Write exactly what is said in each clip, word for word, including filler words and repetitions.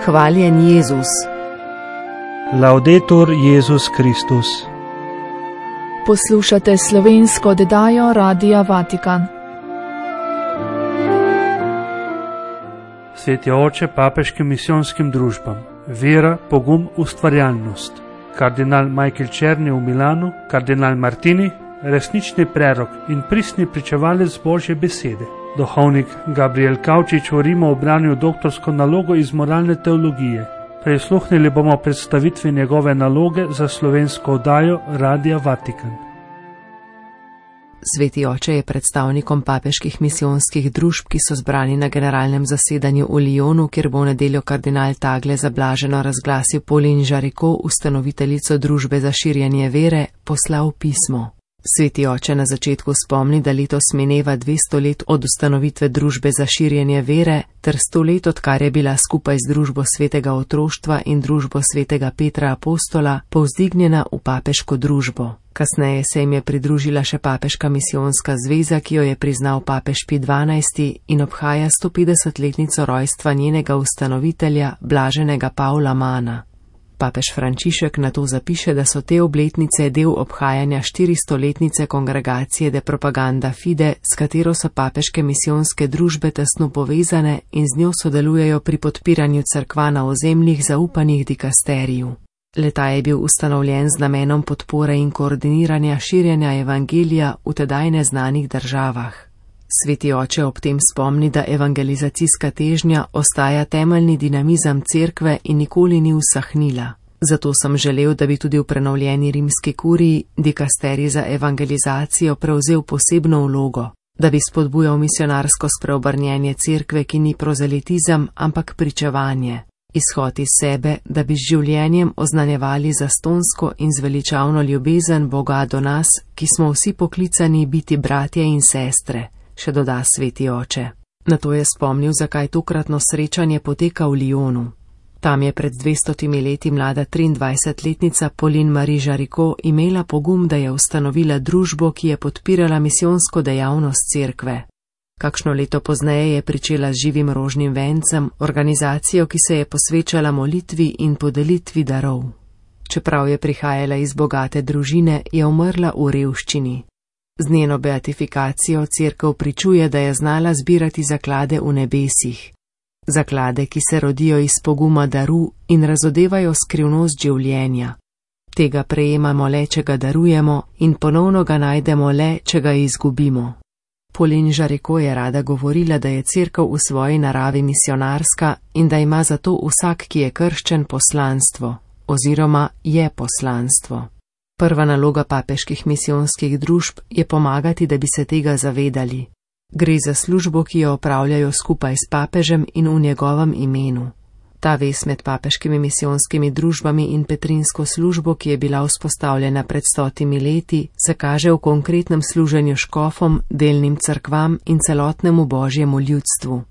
Hvaljen Jezus. Laudetur Jezus Kristus. Poslušate slovensko oddajo Radia Vatikan. Sveti oče papeškim misijonskim družbam. Vera, pogum, ustvarjalnost. Kardinal Michael Černi v Milanu, kardinal Martini, resnični prerok in pristni pričevalec Božje besede. Duhovnik Gabriel Kavčič v Rimu obranil doktorsko nalogo iz moralne teologije. Prisluhnili bomo predstavitvi njegove naloge za slovensko oddajo Radia Vatikan. Sveti oče je predstavnikom papeških misijonskih družb, ki so zbrani na generalnem zasedanju v Lyonu, kjer bo v nedeljo kardinal Tagle zablaženo razglasil Pauline Jaricot, ustanoviteljico družbe za širjenje vere, poslal pismo. Sveti oče na začetku spomni, da letos mineva dvesto let od ustanovitve družbe za širjenje vere ter sto let, odkar je bila skupaj z družbo svetega otroštva in družbo svetega Petra Apostola povzdignjena v papeško družbo. Kasneje se jim je pridružila še papeška misijonska zveza, ki jo je priznal papež Pij dvanajsti in obhaja stopetdesetletnico rojstva njenega ustanovitelja, blaženega Pavla Mana. Papež Frančišek na to zapiše, da so te obletnice del obhajanja štiristoletnice kongregacije De Propaganda Fide, s katero so papeške misijonske družbe tesno povezane in z njo sodelujejo pri podpiranju cerkva na ozemljih zaupanih dikasteriju. Le-ta je bil ustanovljen z namenom podpore in koordiniranja širjenja evangelija v tedaj neznanih državah. Sveti oče ob tem spomni, da evangelizacijska težnja ostaja temeljni dinamizem cerkve in nikoli ni usahnila. Zato sem želel, da bi tudi v prenovljeni rimski kuriji dikasterij za evangelizacijo prevzel posebno vlogo, da bi spodbujal misionarsko spreobrnjenje cerkve, ki ni prozelitizem, ampak pričevanje, izhod iz sebe, da bi z življenjem oznanjevali zastonsko in zveličavno ljubezen Boga do nas, ki smo vsi poklicani biti bratje in sestre, še doda sveti oče. Nato je spomnil, zakaj tokratno srečanje poteka v Lyonu. Tam je pred dvestotimi leti mlada triindvajsetletnica Pauline Marie Jaricot imela pogum, da je ustanovila družbo, ki je podpirala misijonsko dejavnost cerkve. Kakšno leto pozneje je pričela z živim rožnim vencem, organizacijo, ki se je posvečala molitvi in podelitvi darov. Čeprav je prihajala iz bogate družine, je umrla v revščini. Z njeno beatifikacijo cerkev pričuje, da je znala zbirati zaklade v nebesih. Zaklade, ki se rodijo iz poguma daru in razodevajo skrivnost življenja. Tega prejemamo le, če ga darujemo, in ponovno ga najdemo le, če ga izgubimo. Pauline Jaricot je rada govorila, da je cerkev v svoji naravi misionarska in da ima zato vsak, ki je krščen, poslanstvo, oziroma je poslanstvo. Prva naloga papeških misijonskih družb je pomagati, da bi se tega zavedali. Gre za službo, ki jo opravljajo skupaj s papežem in v njegovem imenu. Ta vez med papeškimi misijonskimi družbami in petrinsko službo, ki je bila vzpostavljena pred stotimi leti, se kaže v konkretnem služenju škofom, delnim cerkvam in celotnemu božjemu ljudstvu.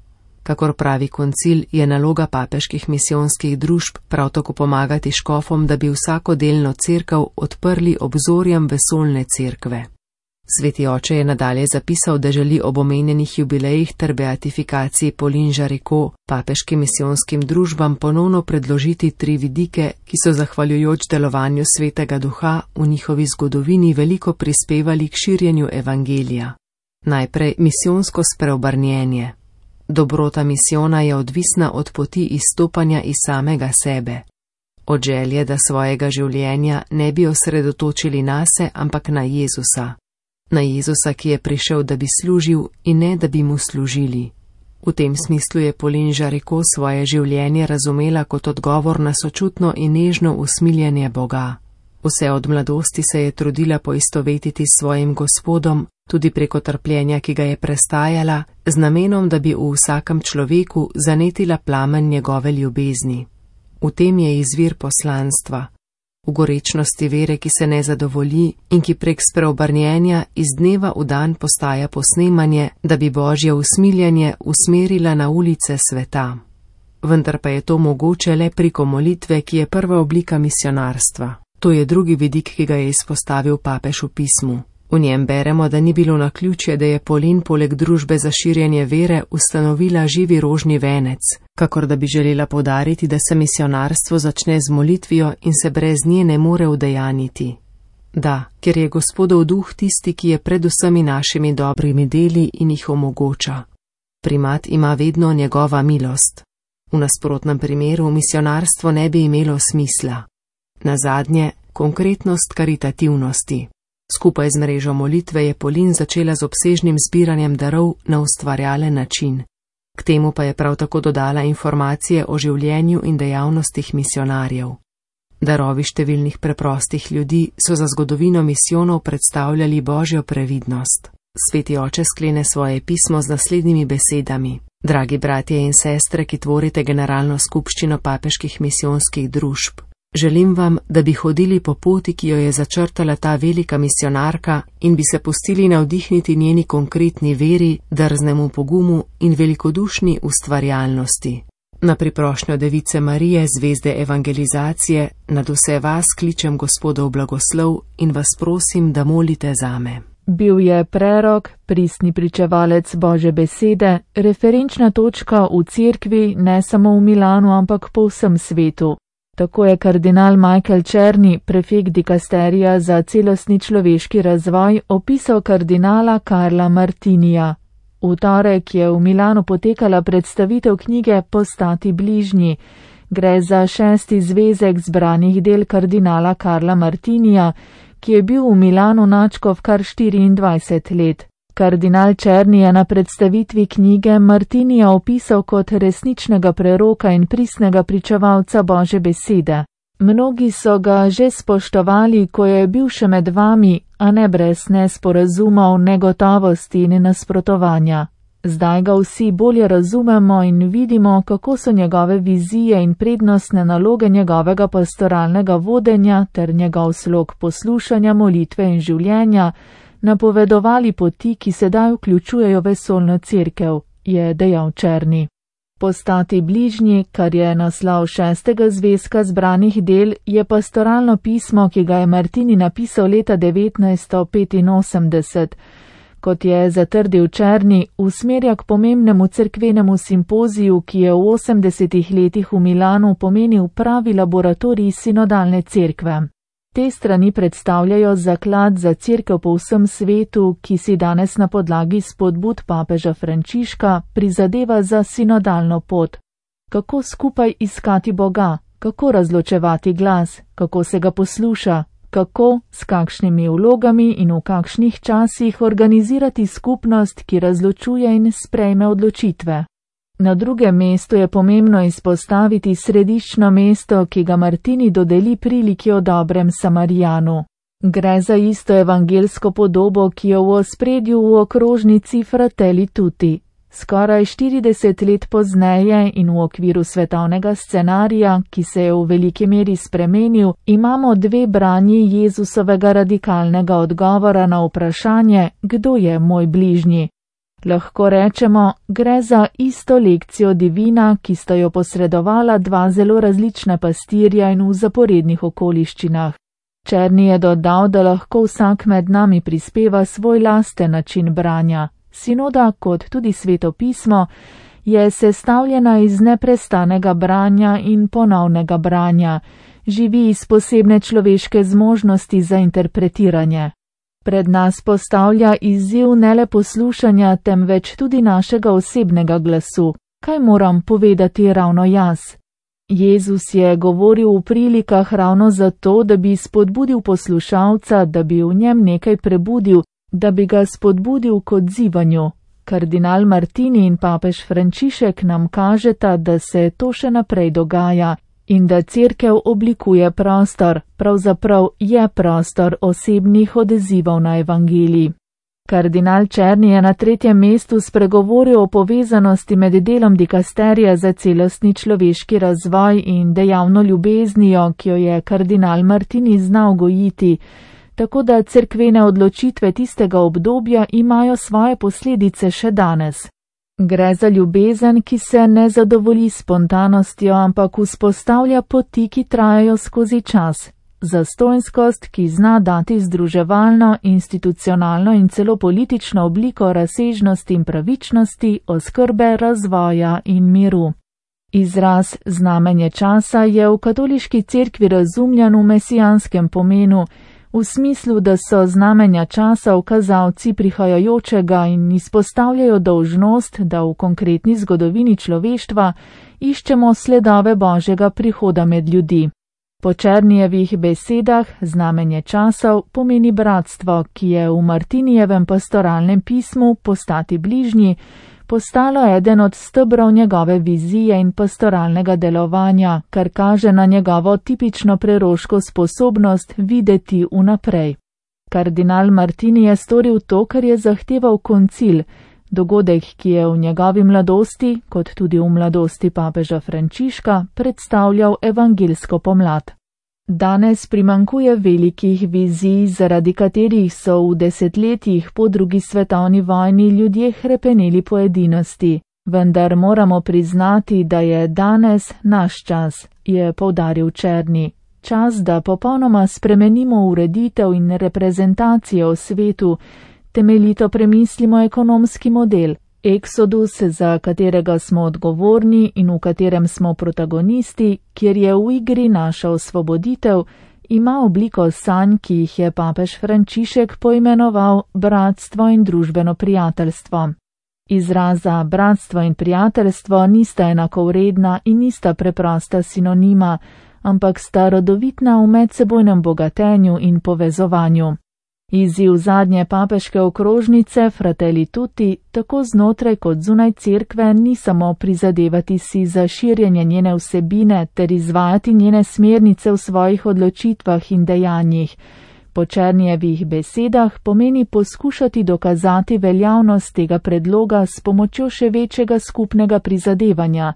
Kakor pravi koncil, je naloga papeških misijonskih družb prav tako pomagati škofom, da bi vsako delno cerkev odprli obzorjem vesoljne cerkve. Sveti oče je nadalje zapisal, da želi ob omenjenih jubilejih ter beatifikaciji Pauline Jaricot papeškim misijonskim družbam ponovno predložiti tri vidike, ki so zahvaljujoč delovanju Svetega Duha v njihovi zgodovini veliko prispevali k širjenju evangelija. Najprej misijonsko spreobrnjenje. Dobrota misijona je odvisna od poti izstopanja iz samega sebe. Od želje, da svojega življenja ne bi osredotočili nase, ampak na Jezusa. Na Jezusa, ki je prišel, da bi služil in ne, da bi mu služili. V tem smislu je Pauline Jaricot svoje življenje razumela kot odgovor na sočutno in nežno usmiljenje Boga. Vse od mladosti se je trudila poistovetiti s svojim Gospodom, tudi preko trpljenja, ki ga je prestajala, z namenom, da bi v vsakem človeku zanetila plamen njegove ljubezni. V tem je izvir poslanstva. V gorečnosti vere, ki se ne zadovolji in ki prek spreobrnjenja iz dneva v dan postaja posnemanje, da bi božje usmiljanje usmerila na ulice sveta. Vendar pa je to mogoče le preko molitve, ki je prva oblika misionarstva. To je drugi vidik, ki ga je izpostavil papež v pismu. V njem beremo, da ni bilo naključje, da je Polin poleg družbe za širjenje vere ustanovila Živi rožni venec, kakor da bi želela poudariti, da se misionarstvo začne z molitvijo in se brez nje ne more udejaniti. Da, ker je Gospodov duh tisti, ki je pred vsemi našimi dobrimi deli in jih omogoča. Primat ima vedno njegova milost. V nasprotnem primeru misionarstvo ne bi imelo smisla. Nazadnje, konkretnost karitativnosti. Skupaj z mrežo molitve je Polin začela z obsežnim zbiranjem darov na ustvarjalen način. K temu pa je prav tako dodala informacije o življenju in dejavnostih misionarjev. Darovi številnih preprostih ljudi so za zgodovino misijonov predstavljali Božjo previdnost. Sveti oče sklene svoje pismo z naslednjimi besedami. Dragi bratje in sestre, ki tvorite generalno skupščino papeških misijonskih družb, želim vam, da bi hodili po poti, ki jo je začrtala ta velika misionarka in bi se pustili navdihniti njeni konkretni veri, drznemu pogumu in velikodušni ustvarjalnosti. Na priprošnjo Device Marije, zvezde evangelizacije, nad vse vas kličem Gospodov blagoslov in vas prosim, da molite zame. Bil je prerok, pristni pričevalec Božje besede, referenčna točka v cerkvi ne samo v Milanu, ampak po vsem svetu. Tako je kardinal Michael Černi, prefekt dikasterija za celostni človeški razvoj, opisal kardinala Karla Martinija. V torek je v Milanu potekala predstavitev knjige Postati bližnji. Gre za šesti zvezek zbranih del kardinala Karla Martinija, ki je bil v Milanu nadškof kar štiriindvajset let. Kardinal Černi je na predstavitvi knjige Martinija opisal kot resničnega preroka in pristnega pričevalca Božje besede. Mnogi so ga že spoštovali, ko je bil še med vami, a ne brez nesporazumov, negotovosti in nasprotovanja. Zdaj ga vsi bolje razumemo in vidimo, kako so njegove vizije in prednostne naloge njegovega pastoralnega vodenja ter njegov slog poslušanja, molitve in življenja napovedovali poti, ki sedaj vključujejo vesoljno cerkev, je dejal Černi. Postati bližnji, kar je naslov šestega zvezka zbranih del, je pastoralno pismo, ki ga je Martini napisal leta devetnajststo petinosemdeset. Kot je zatrdil Černi, usmerja k pomembnemu cerkvenemu simpoziju, ki je v osemdesetih letih v Milanu pomenil pravi laboratorij sinodalne cerkve. Te strani predstavljajo zaklad za cerkev po vsem svetu, ki si danes na podlagi spodbud papeža Frančiška prizadeva za sinodalno pot. Kako skupaj iskati Boga, kako razločevati glas, kako se ga posluša, kako, s kakšnimi vlogami in v kakšnih časih organizirati skupnost, ki razločuje in sprejme odločitve. Na drugem mestu je pomembno izpostaviti središčno mesto, ki ga Martini dodeli priliki o dobrem Samarijanu. Gre za isto evangelsko podobo, ki jo v ospredju v okrožnici Fratelli Tutti. Skoraj štirideset let pozneje in v okviru svetovnega scenarija, ki se je v veliki meri spremenil, imamo dve branji Jezusovega radikalnega odgovora na vprašanje, kdo je moj bližnji. Lahko rečemo, gre za isto lekcijo divina, ki sta jo posredovala dva zelo različna pastirja in v zaporednih okoliščinah. Černi je dodal, da lahko vsak med nami prispeva svoj lasten način branja. Sinoda, kot tudi Sveto pismo, je sestavljena iz neprestanega branja in ponovnega branja, živi iz posebne človeške zmožnosti za interpretiranje. Pred nas postavlja izziv ne le poslušanja, temveč tudi našega osebnega glasu. Kaj moram povedati ravno jaz? Jezus je govoril v prilikah ravno zato, da bi spodbudil poslušalca, da bi v njem nekaj prebudil, da bi ga spodbudil k odzivanju. Kardinal Martini in papež Frančišek nam kažeta, da se to še naprej dogaja in da cerkev oblikuje prostor, pravzaprav je prostor osebnih odzivov na evangelij. Kardinal Černi je na tretjem mestu spregovoril o povezanosti med delom dikasterija za celostni človeški razvoj in dejavno ljubeznijo, ki jo je kardinal Martini znal gojiti, tako da cerkvene odločitve tistega obdobja imajo svoje posledice še danes. Gre za ljubezen, ki se ne zadovolji spontanostjo, ampak vzpostavlja poti, ki trajajo skozi čas. zastonjskost, ki zna dati združevalno, institucionalno in celo politično obliko razsežnosti in pravičnosti, oskrbe, razvoja in miru. Izraz znamenje časa je v katoliški cerkvi razumljen v mesijanskem pomenu, v smislu, da so znamenja časa ukazalci prihajajočega in izpostavljajo dolžnost, da v konkretni zgodovini človeštva iščemo sledove Božjega prihoda med ljudi. Po Černijevih besedah znamenje časov pomeni bratstvo, ki je v Martinijevem pastoralnem pismu Postati bližnji postalo eden od stebrov njegove vizije in pastoralnega delovanja, kar kaže na njegovo tipično preroško sposobnost videti vnaprej. Kardinal Martini je storil to, kar je zahteval koncil, dogodek, ki je v njegovi mladosti, kot tudi v mladosti papeža Frančiška, predstavljal evangelsko pomlad. Danes primankuje velikih vizij, zaradi katerih so v desetletjih po drugi svetovni vojni ljudje hrepeneli po edinosti. Vendar moramo priznati, da je danes naš čas, je poudaril Černi. Čas, da popolnoma spremenimo ureditev in reprezentacijo v svetu, temeljito premislimo ekonomski model. Eksodus, za katerega smo odgovorni in v katerem smo protagonisti, kjer je v igri naša osvoboditev, ima obliko sanj, ki jih je papež Frančišek poimenoval bratstvo in družbeno prijateljstvo. Izraza bratstvo in prijateljstvo nista enakovredna in nista preprosta sinonima, ampak sta rodovitna v medsebojnem bogatenju in povezovanju. Izziv zadnje papeške okrožnice Fratelli Tutti tako znotraj kot zunaj cerkve ni samo prizadevati si za širjenje njene vsebine ter izvajati njene smernice v svojih odločitvah in dejanjih. Po Černijevih besedah pomeni poskušati dokazati veljavnost tega predloga s pomočjo še večjega skupnega prizadevanja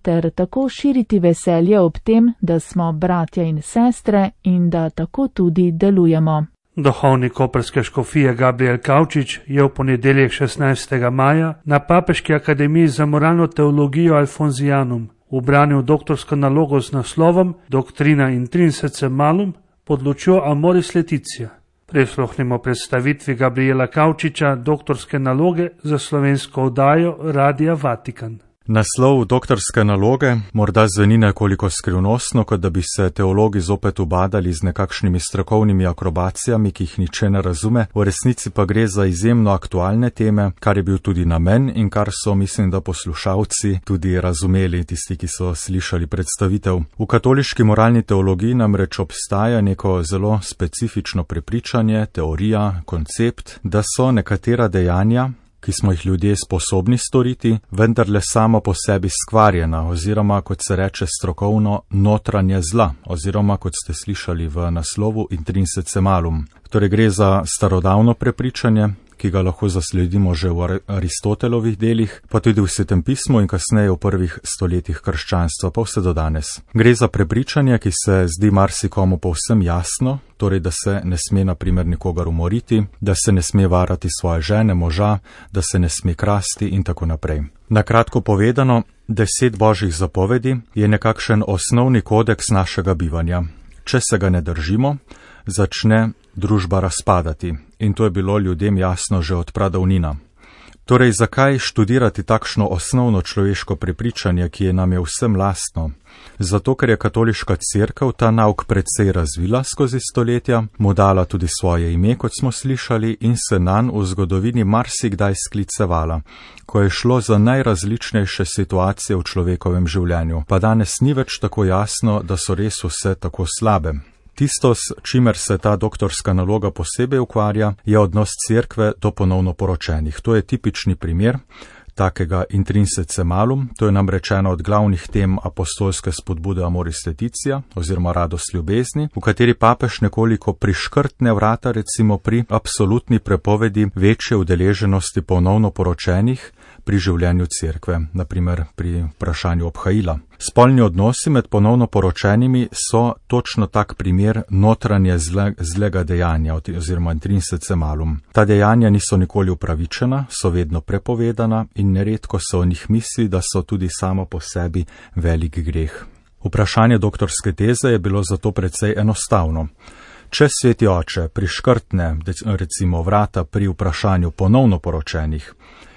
ter tako širiti veselje ob tem, da smo bratja in sestre in da tako tudi delujemo. Duhovnik koprske škofije Gabriel Kavčič je v ponedeljek šestnajstega maja na Papeški akademiji za moralno teologijo Alfonzijanum ubranil doktorsko nalogo z naslovom Doctrina Intrinsece Malum pod lučjo Amoris Laetitia. Prisluhnimo predstavitvi Gabriela Kavčiča doktorske naloge za slovensko oddajo Radia Vatikan. Naslov doktorske naloge morda zveni nekoliko skrivnostno, kot da bi se teologi zopet ubadali z nekakšnimi strokovnimi akrobacijami, ki jih niče ne razume, v resnici pa gre za izjemno aktualne teme, kar je bil tudi namen in kar so, mislim, da poslušalci tudi razumeli, tisti, ki so slišali predstavitev. V katoliški moralni teologiji namreč obstaja neko zelo specifično prepričanje, teorija, koncept, da so nekatera dejanja, ki smo jih ljudje sposobni storiti, vendarle samo po sebi skvarjena oziroma, kot se reče strokovno, notranje zla oziroma, kot ste slišali v naslovu, intrinsece malum. Torej gre za starodavno prepričanje, ki ga lahko zasledimo že v Aristotelovih delih, pa tudi v Svetem pismu in kasneje v prvih stoletjih krščanstva, pa vse do danes. Gre za prepričanje, ki se zdi marsikomu povsem jasno, torej da se ne sme na primer nikogar umoriti, da se ne sme varati svoje žene, moža, da se ne sme krasti in tako naprej. Na kratko povedano, deset božjih zapovedi je nekakšen osnovni kodeks našega bivanja. Če se ga ne držimo, začne družba razpadati in to je bilo ljudem jasno že od pradavnina. Torej, zakaj študirati takšno osnovno človeško prepričanje, ki je nam je vsem lastno? Zato, ker je katoliška cerkev ta nauk precej razvila skozi stoletja, mu dala tudi svoje ime, kot smo slišali, in se nanj v zgodovini marsikdaj sklicevala, ko je šlo za najrazličnejše situacije v človekovem življenju, pa danes ni več tako jasno, da so res vse tako slabe. Tisto, s čimer se ta doktorska naloga posebej ukvarja, je odnos cerkve do ponovno poročenih. To je tipični primer takega intrinsece malum, to je namreč ena od glavnih tem apostolske spodbude Amoris Laetitia oziroma radost ljubezni, v kateri papež nekoliko priškrtne vrata recimo pri absolutni prepovedi večje udeleženosti ponovno poročenih pri življenju cerkve, naprimer pri vprašanju obhajila. Spolni odnosi med ponovno poročenimi so točno tak primer notranje zle, zlega dejanja oziroma intrinsece malum. Ta dejanja niso nikoli upravičena, so vedno prepovedana in neredko se o njih misli, da so tudi samo po sebi velik greh. Vprašanje doktorske teze je bilo zato precej enostavno. Če sveti oče priškrtne, recimo, vrata pri vprašanju ponovno poročenih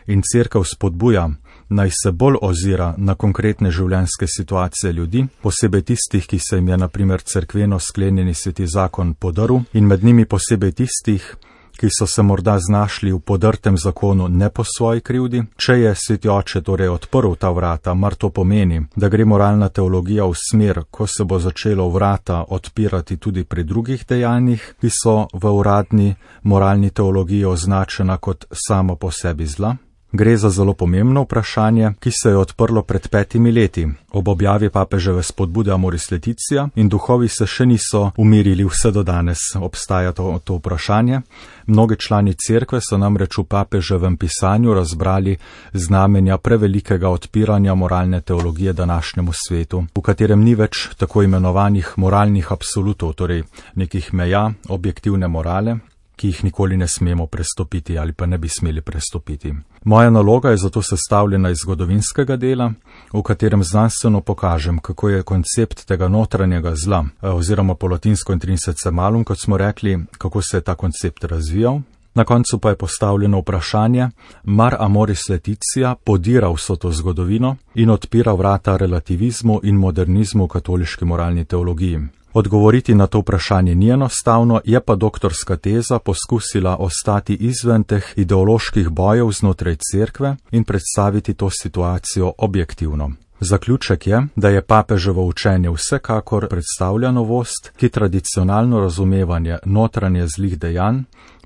in cerkev spodbuja, naj se bolj ozira na konkretne življenjske situacije ljudi, posebej tistih, ki se jim je na primer cerkveno sklenjeni sveti zakon podaril, in med njimi posebej tistih, ki so se morda znašli v podrtem zakonu ne po svoji krivdi. Če je sveti oče torej odprl ta vrata, mar to pomeni, da gre moralna teologija v smer, ko se bo začelo vrata odpirati tudi pri drugih dejanjih, ki so v uradni moralni teologiji označena kot samo po sebi zla? Gre za zelo pomembno vprašanje, ki se je odprlo pred petimi leti, ob objavi papeževe spodbude Amoris Laetitia, in duhovi se še niso umirili, vse do danes obstaja to, to vprašanje. Mnogi člani cerkve so namreč v papeževem pisanju razbrali znamenja prevelikega odpiranja moralne teologije današnjemu svetu, v katerem ni več tako imenovanih moralnih absolutov, torej nekih meja objektivne morale, ki jih nikoli ne smemo prestopiti ali pa ne bi smeli prestopiti. Moja naloga je zato sestavljena iz zgodovinskega dela, v katerem znanstveno pokažem, kako je koncept tega notranjega zla, oziroma po latinsko intrinsece malum, kot smo rekli, kako se je ta koncept razvijal. Na koncu pa je postavljeno vprašanje, mar Amoris Laetitia podira vso to zgodovino in odpira vrata relativizmu in modernizmu v katoliški moralni teologiji. Odgovoriti na to vprašanje ni enostavno, je pa doktorska teza poskusila ostati izven teh ideoloških bojev znotraj cerkve in predstaviti to situacijo objektivno. Zaključek je, da je papeževo učenje vsekakor predstavlja novost, ki tradicionalno razumevanje notranje zlih dejanj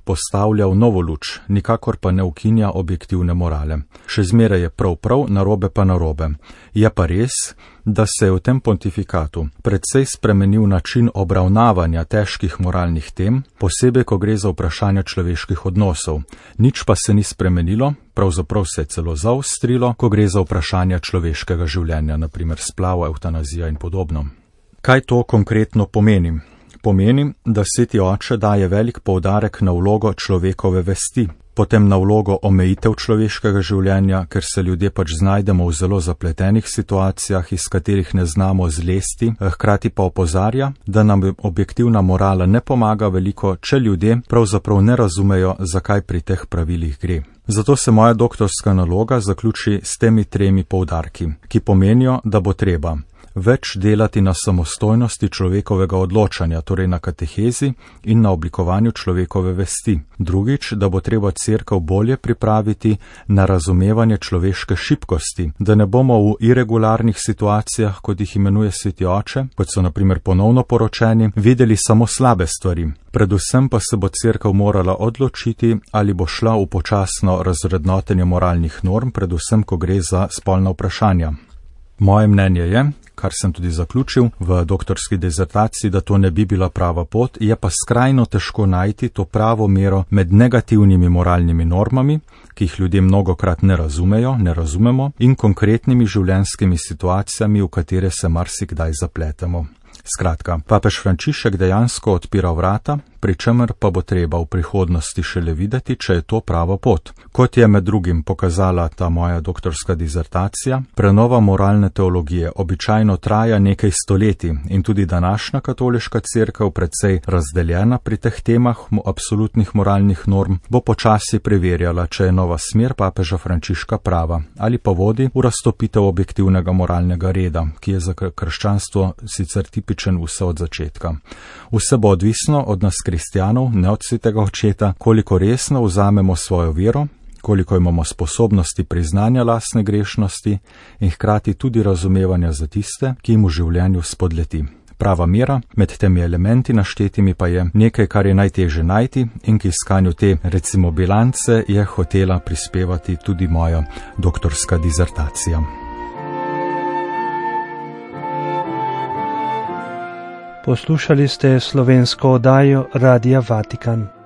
postavlja v novo luč, nikakor pa ne ukinja objektivne morale. Še zmeraj je prav prav, narobe pa narobe. Je pa res, da se je v tem pontifikatu precej spremenil način obravnavanja težkih moralnih tem, posebej, ko gre za vprašanja človeških odnosov. Nič pa se ni spremenilo, pravzaprav se je celo zaostrilo, ko gre za vprašanja človeškega življenja, naprimer splav, evtanazija in podobno. Kaj to konkretno pomeni? Pomeni, da sveti oče daje velik poudarek na vlogo človekove vesti, potem na vlogo omejitev človeškega življenja, ker se ljudje pač znajdemo v zelo zapletenih situacijah, iz katerih ne znamo zlesti, hkrati pa opozarja, da nam objektivna morala ne pomaga veliko, če ljudje pravzaprav ne razumejo, zakaj pri teh pravilih gre. Zato se moja doktorska naloga zaključi s temi tremi poudarki, ki pomenijo, da bo treba več delati na samostojnosti človekovega odločanja, torej na katehezi in na oblikovanju človekove vesti. Drugič, da bo treba cerkev bolje pripraviti na razumevanje človeške šibkosti, da ne bomo v irregularnih situacijah, kot jih imenuje sveti oče, kot so na primer ponovno poročeni, videli samo slabe stvari. Predvsem pa se bo cerkev morala odločiti, ali bo šla v počasno razrednotenje moralnih norm, predvsem, ko gre za spolna vprašanja. Moje mnenje je, kar sem tudi zaključil v doktorski dizertaciji, da to ne bi bila prava pot, je pa skrajno težko najti to pravo mero med negativnimi moralnimi normami, ki jih ljudje mnogokrat ne razumejo, ne razumemo, in konkretnimi življenjskimi situacijami, v katere se marsikdaj zapletemo. Skratka, papež Frančišek dejansko odpira vrata, pri čemer pa bo treba v prihodnosti šele videti, če je to prava pot. Kot je med drugim pokazala ta moja doktorska dizertacija, prenova moralne teologije običajno traja nekaj stoletij in tudi današnja katoliška cerkev, precej razdeljena pri teh temah absolutnih moralnih norm, bo počasi preverjala, če je nova smer papeža Frančiška prava ali pa vodi v raztopitev objektivnega moralnega reda, ki je za krščanstvo sicer tipičen vse od začetka. Vse bo odvisno od nas kristjanov, ne od svetega očeta, koliko resno vzamemo svojo vero, koliko imamo sposobnosti priznanja lastne grešnosti in hkrati tudi razumevanja za tiste, ki jim v življenju spodleti. Prava mera med temi elementi naštetimi pa je nekaj, kar je najtežje najti in k iskanju te, recimo, bilance je hotela prispevati tudi moja doktorska dizertacija. Poslušali ste slovensko oddajo Radia Vatikan.